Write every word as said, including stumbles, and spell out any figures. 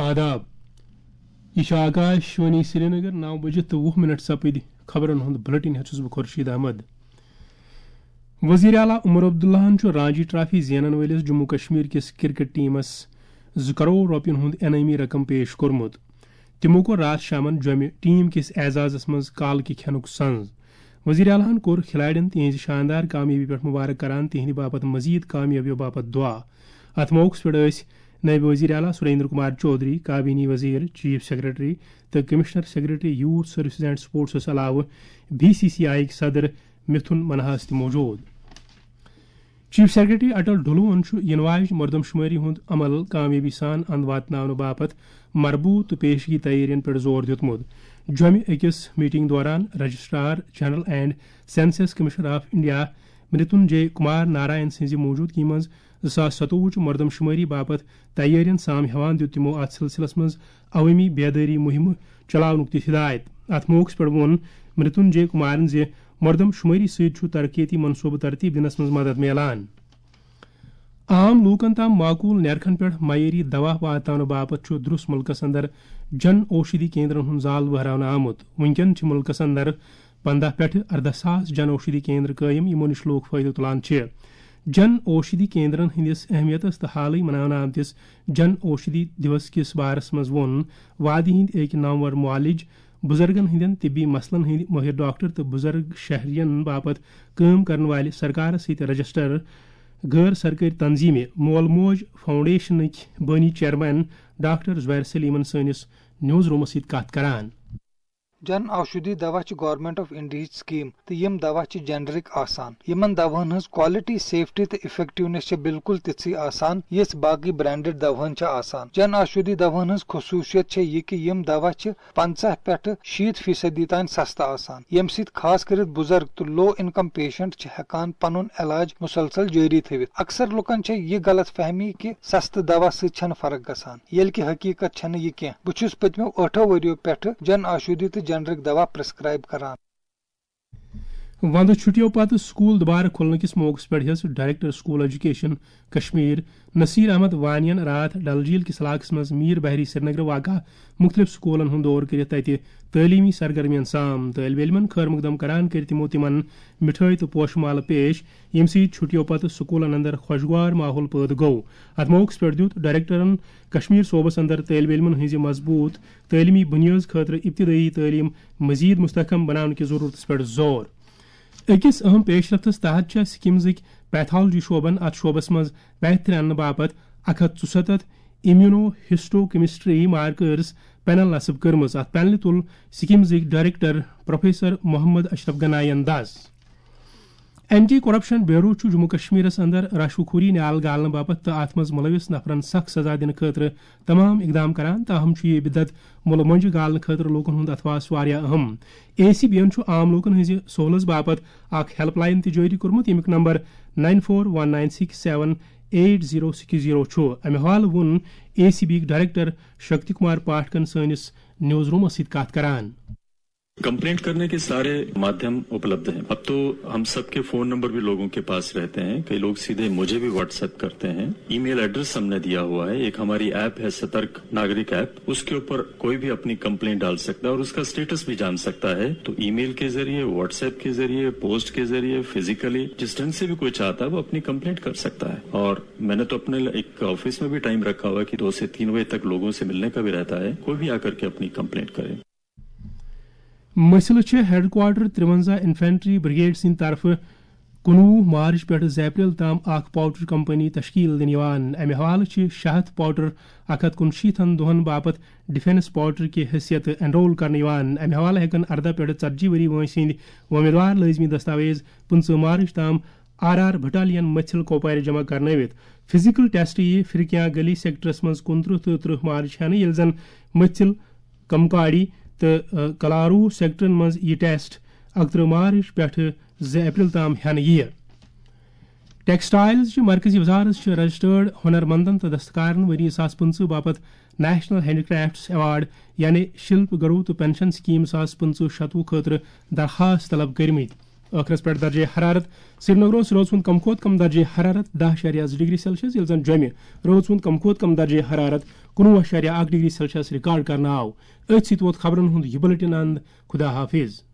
آداب۔ یہِ چھُ آکاش وانی سرینگر، نو بجے تہٕ وُہ منٹ سپٕدۍ۔ خبرن ہُنٛد بلیٹن ہٮ۪تھ چھُس بہٕ خورشید احمد۔ وزیر اعلیٰ عمر عبداللہن چھُ رانجی ٹرافی زینن وٲلِس جموں کشمیر کِس کرکٹ ٹیمس زٕ کرور رۄپین ہُنٛد انعٲمی رقم پیش کوٚرمُت۔ تِمو کوٚر راتھ شامن جوٚمہِ ٹیم کِس اعزازس منٛز کالہٕ کہِ کھٮ۪نُک سنز۔ وزیر اعلیٰ ہن کوٚر کھلاڑٮ۪ن تِہنٛزِ شاندار کامیٲبی پٮ۪ٹھ مبارک کران تِہنٛدِ باپتھ مزید کامیٲبیو باپتھ دعا۔ اتھ موقعس پٮ۪ٹھ ٲسۍ نٲیِب وزیر اعلیٰ سریندر کمار چودھری، کابینی وزیر، چیف سیکرٹری تہٕ commissioner secretary youth services and سپورٹسس علاوٕ بی سی سی آئی ہٕکۍ صدر متھن منہاس تہِ موجود۔ چیف سیکرٹری اٹل ڈھلوہن چھُ یِنہٕ واجہِ مردم شمٲری ہُنٛد عمل کامیٲبی سان اند واتناونہٕ باپتھ مربوط تہٕ پیشگی تیٲرین پٮ۪ٹھ زور دیُتمُت۔ جوٚمہِ أکِس میٹنگ دوران registrar general and census commissioner of India Mritunjay Kumar Narayan سٕنٛزِ موجودگی منٛز زٕ ساس ستووُہ چہِ مردم شمٲری باپتھ تیٲرین سام ہیوان دیُت تِمو اتھ سلسلس منٛز عوٲمی بیدٲری مُہِمہٕ چلاونُک تہِ ہدایت۔ اتھ موقعس پٮ۪ٹھ ووٚن مریتون جے کمارن زِ مردم شمٲری سۭتۍ چھُ ترقیتی منصوبہٕ ترتیب دِنس منٛز مدد میلان۔ عام لوٗکن تام معقول نیرخن پٮ۪ٹھ معیٲری دوا واتناونہٕ باپتھ چھُ درُس مُلکس اندر جن اوشدھی کیندرن ہُنٛد زال وہراونہٕ آمُت۔ وُنکٮ۪ن چھِ مُلکس اندر پنٛداہ پٮ۪ٹھٕ ارداہ ساس جن اوشدھی کیندر قٲیِم، یِمو نِش لوٗکھ فٲیدٕ تُلان چھِ۔ جن اوشدھی کیندرن ہٕنٛدِس اہمیتس تہٕ حالٕے مناونہٕ آمتِس جن اوشدھی دیوس کِس بارس منٛز ووٚن وادی ہٕنٛدۍ أکۍ نامور معالج، بُزرگن ہٕنٛدٮ۪ن طبی مسلن ہٕنٛدۍ مٲہِر ڈاکٹر تہٕ بُزرگ شہرین باپتھ کٲم کرن والہِ سرکارس سۭتۍ رجسٹر غٲر سرکٲرۍ تنظیمہِ مول موج فاؤنڈیشنٕکۍ بٲنی چیئرمین ڈاکٹر زبیر سلیمن سٲنِس نیوز رومس سۭتۍ کتھ کران۔ جن اوشدھی دوا چھِ گورنمنٹ آف انڈیاہٕچ سکیٖم تہٕ یِم دوا چھِ جنرک آسان۔ یِمن دواہن ہٕنٛز quality، safety تہٕ effectiveness چھِ بالکل تِژھٕے آسان، یِژھ باقٕے branded دواہن چھِ آسان۔ جن اوشدھی دواہن ہٕنٛز خصوٗصیت چھےٚ یہِ کہِ یِم دوا چھِ پنٛژاہ پٮ۪ٹھٕ شیٖتھ فیصدی تام سستہٕ آسان، ییٚمہِ سۭتۍ خاص کٔرِتھ بُزرگ تہٕ low income patient چھِ ہٮ۪کان پنُن علاج مسلسل جٲری تھٲوِتھ۔ اکثر لُکن چھےٚ یہِ غلط فہمی کہِ سستہٕ دوا سۭتۍ چھنہٕ فرق گژھان، ییٚلہِ کہِ حقیقت چھنہٕ یہِ کینٛہہ۔ بہٕ چھُس پٔتمیو ٲٹھو ؤرِیو پٮ۪ٹھٕ جن اوشدھی تہٕ جنرک دوا prescribe کران۔ وندٕ چھُٹیو پتہٕ سکول دوبارٕ کھُلنہٕ کِس موقعس پٮ۪ٹھ ہیٚژ director school education Kashmir Naseer Ahmad وانین راتھ ڈل جھیل کِس علاقس منٛز میر بحری سرینگر واقع مُختٔلِف سکوٗلن ہُنٛد دورٕ کٔرِتھ تَتہِ تعلیٖمی سرگرمیَن سام۔ طٲلبہِ علمَن خٲر مقدم کران کٔرۍ تِمو تِمَن مِٹھٲے تہٕ پوشہٕ مالہٕ پیش، ییٚمہِ سۭتۍ چھُٹیو پتہٕ سکوٗلَن اندر خۄشگوار ماحول پٲدٕ گوٚو۔ اَتھ موقعس پٮ۪ٹھ دیُت ڈائریکٹرَن کشمیر صوبَس اندر طٲلبہِ علمَن ہٕنٛزِ مضبوٗط تعلیٖمی بُنیٲدۍ خٲطرٕ ابتدٲیی تعلیٖم مزید مستحکم بناونہٕ کِس ضروٗرتَس پٮ۪ٹھ زور۔ أکِس اہم پیش رفتس تحت چھےٚ سکمزٕکۍ پیتھالوجی شعبن اتھ شعبس منٛز بہتری اننہٕ باپتھ اکھ ہتھ ژُستتھ immunohistochemistry markers panel نصب کٔرمٕژ۔ اتھ پینلہِ تُل سکمزٕکۍ ڈائریکٹر پروفیسر محمد اشرف گناین دس۔ اینٹی کرپشن بیورو چھُ جموں کشمیرس اندر رشوٕ خوری نیال گالنہٕ باپتھ تہٕ اتھ منٛز ملوث نفرن سخت سزا دِنہٕ خٲطرٕ تمام اقدام کران، تاہم چھُ یہِ بدعت مُلہٕ مۄنجہِ گالنہٕ خٲطرٕ لوٗکن ہُنٛد اتھواس واریاہ اہم۔ اے سی بی یَن چھُ عام لوٗکن ہٕنٛزِ سہوٗلژ باپتھ اکھ ہیلپ لائن تہِ جٲری کوٚرمُت، ییٚمیُک number nine four one nine six seven eight zero six zero چھُ۔ امہِ حوالہٕ ووٚن اے سی بی یِک ڈائریکٹر شکتی کمار پاٹھکن سٲنِس نیوز رومس سۭتۍ کتھ کران۔ कंप्लेंट करने के सारे माध्यम उपलब्ध हैं। अब तो हम सबके फोन नंबर भी लोगों के पास रहते हैं। कई लोग सीधे मुझे भी व्हाट्सएप करते हैं। ईमेल एड्रेस हमने दिया हुआ है। एक हमारी ऐप है सतर्क नागरिक ऐप, उसके ऊपर कोई भी अपनी कंप्लेंट डाल सकता है और उसका स्टेटस भी जान सकता है। तो ईमेल के जरिए, व्हाट्सएप के जरिए, पोस्ट के जरिए, फिजिकली जिस ढंग से भी कोई चाहता है वो अपनी कंप्लेंट कर सकता है। और मैंने तो अपने एक ऑफिस में भी टाइम रखा हुआ है कि दो से तीन बजे तक लोगों से मिलने का भी रहता है, कोई भी आकर के अपनी कंप्लेंट करे। مٔسلہٕ چھِ ہیڈ کوارٹر ترٛوَنزاہ انفینٹری بریگیڈ سٕنٛدِ طرفہٕ کُنوُہ مارچ پٮ۪ٹھ زٕ اپریل تام اکھ پاؤڈر کمپنی تشکیل دِنہٕ یِوان۔ امہِ حوالہٕ چھِ شےٚ ہتھ پاؤڈر اکھ ہتھ کُنشیٖتھن دۄہَن باپتھ ڈیفنس پاؤڈر کہِ حیثیت انرول کرنہٕ یِوان۔ امہِ حوالہٕ ہٮ۪کَن ارداہ پٮ۪ٹھ ژتجی ؤری وٲنٛسہِ ہٕنٛدۍ وۄمیدوار لٲزمی دستاویز پٕنٛژٕہ مارچ تام آر آر بٹالین مٔژھِل کوپوارِ جمع کرنٲوِتھ۔ فزیکل ٹیسٹ یِیہِ فرقیاں گلی سیکٹرس منٛز کُنترٕہ تہٕ ترٕہ مارچ ہٮ۪نہٕ، ییٚلہِ زن مٔژھِل کمکاڑی تہٕ، آ، کلارو سیکٹرن منٛز یہِ ٹیسٹ اکترٕہ مارچ پٮ۪ٹھٕ زٕ اپریل تام ہٮ۪نہٕ یِیہِ۔ ٹیکسٹائلز چہِ مرکزی وزارت چھِ رجسٹرڈ ہنر مندن تہٕ دستکارن ؤری زٕ ساس پٕنٛژٕہ باپتھ نیشنل ہینڈی کرافٹس ایوارڈ یعنی شلپ گرو تہٕ پینشن سکیم زٕ ساس پٕنٛژٕہ شتوُہ خٲطرٕ درخواست طلب کٔرمٕتۍ۔ ٲخرس پٮ۪ٹھ درجہ حرارت۔ سرینگرس رٲژ ہُنٛد کم کھۄتہٕ کم درجہ حرارت دَہ اَشاریہ زٕ ڈگری سیلسیس، ییٚلہِ زن جوٚمہِ رٲژ ہُنٛد کم کھۄتہٕ کم درجہ حرارت کُنوُہ اَشاریہ اَکھ ڈگری سیلسیس ریکارڈ کرنہٕ آو۔ أتھۍ سۭتۍ ووت خبرن ہُنٛد یہِ بلیٹن اند۔ خدا حافظ۔